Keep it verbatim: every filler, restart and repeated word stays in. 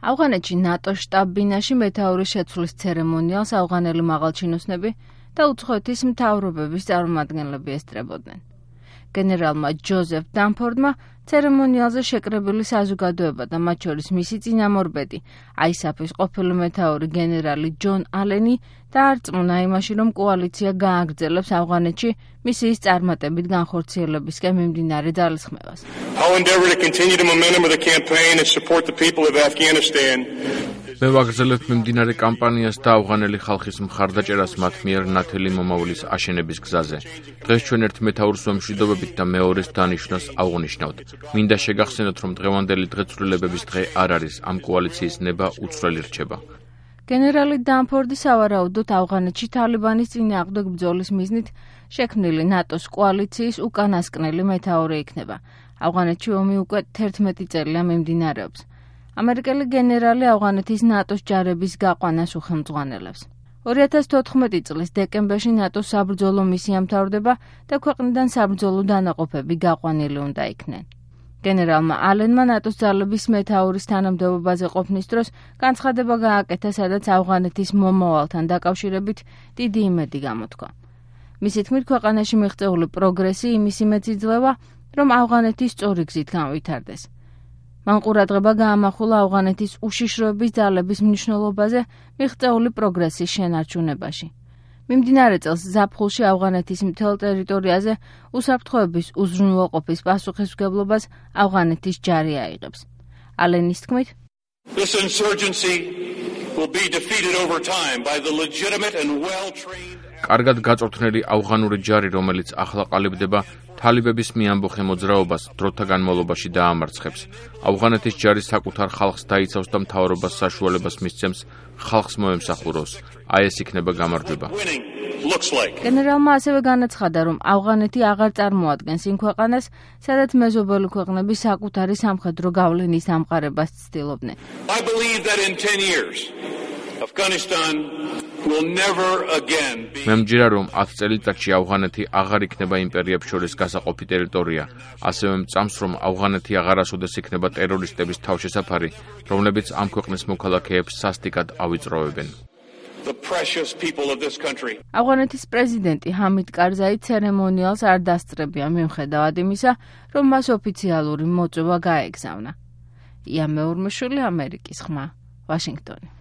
ავღანეთში ნატოს შტაბ-ბინაში მეთაურის შეცვლის ცერემონიალს ავღანელი მაღალჩინოსნები და უცხოეთის მთავრობების წარმომადგენლები ესწრებოდნენ. გენერალმა ჯოზეფ დანფორდმა ცერემონიალზე შეკრებილი საზოგადოება და მათ შორის მისი წინამორბედი, აისაფის ყოფილი მეთაური გენერალი ჯონ ალენი დაარწმუნა იმაში, რომ კოალიცია გააგრძელებს ავღანეთში მისიის წარმატებით განხორციელებისკენ მიმდინარე ძალისხმევას. I'll endeavor to continue the momentum of the campaign and support the people of Afghanistan. მე ვაგრძელებთ მიმდინარე კამპანიას და ავღანელი ხალხის მხარდაჭერას მათ მიერ ნათელი მომავლის აშენების გზაზე. დღეს ჩვენ ერთ მეთაურს ვემშვიდობებით და მეორეს დანიშვნას აღვნიშნავთ. მინდა შეგახსენოთ, რომ დღევანდელი დღეცვლილებების დღე არ არის, ამ კოალიციის ნება უცვლელი რჩება. გენერალი დანფორდი სავარაუდოდ ავღანეთში თალიბანის წინააღმდეგ ბრძოლის მიზნით შექმნილი ნატოს კოალიციის უკანასკნელი მეთაური იქნება. ავღანეთში ომი უკვე თერთმეტი წელია მიმდინარეობს. ამერიკელი გენერალი ავღანეთის ნატოს ჯარების გაყვანას უხელმძღვანელებს. ორი ათას თოთხმეტი წლის დეკემბერში ნატოს საბრძოლო მისია მთავრდება და ქვეყნიდან საბრძოლო დანაყოფები გაყვანილი უნდა იქნენ. გენერალმა ალენმა ნატოს ძალების მეთაურის თანამდებობაზე ყოფნის დროს განცხადება გააკეთა, სადაც ავღანეთის მომავალთან დაკავშირებით დიდი იმედი გამოთქვა. მისი თქმით, ქვეყანაში მიღწეული პროგრესი იმის იმედს იძლევა, რომ ავღანეთი სწორი გზით განვითარდეს. მან ყურადღება გაამახვილა ავღანეთის უშიშროების ძალების მნიშვნელობაზე მიღწეული პროგრესის შენარჩუნებაში. მიმდინარე წელს ზაფხულში ავღანეთის მთელ ტერიტორიაზე უსაფრთხოების უზრუნველყოფის პასუხისმგებლობას ავღანეთის ჯარი აიღებს. ალენის თქმით, This insurgency will be defeated over time by the legitimate and well-trained კარგად გაწვრთნილი ავღანური ჯარი, რომელიც ახლა ყალიბდება, თალიბების მიამბოხე მოძრაობას დროთა განმავლობაში დაამარცხებს. ავღანეთის ჯარი საკუთარ ხალხს დაიცავს და მთავრობას საშუალებას მისცემს ხალხს მოემსახუროს. აი ეს იქნება გამარჯვება. გენერალმა ასევე განაცხადა, რომ ავღანეთი აღარ წარმოადგენს იმ ქვეყანას, სადაც მეზობელი ქვეყნები საკუთარი სამხედრო გავლენის ამყარებას ცდილობდნენ. I believe that in ten years Afghanistan will never again be მე მჯერა, რომ ათ წელიწადში ავღანეთი აღარ იქნება იმპერიებს შორის გასაყოფი ტერიტორია. ასევე მწამს, რომ ავღანეთი აღარასოდეს იქნება ტერორისტების თავშესაფარი, რომლებიც ამ ქვეყნის მოქალაქეებს სასტიკად ავიწროვებენ. the precious people of this country. ავღანეთის პრეზიდენტი ჰამიდ კარზაი ცერემონიალს არ დასწრებია მიუხედავად იმისა, რომ მას ოფიციალური მოწვევა გაეგზავნა. ია მეორმეშვილი, ამერიკის ხმა, ვაშინგტონი.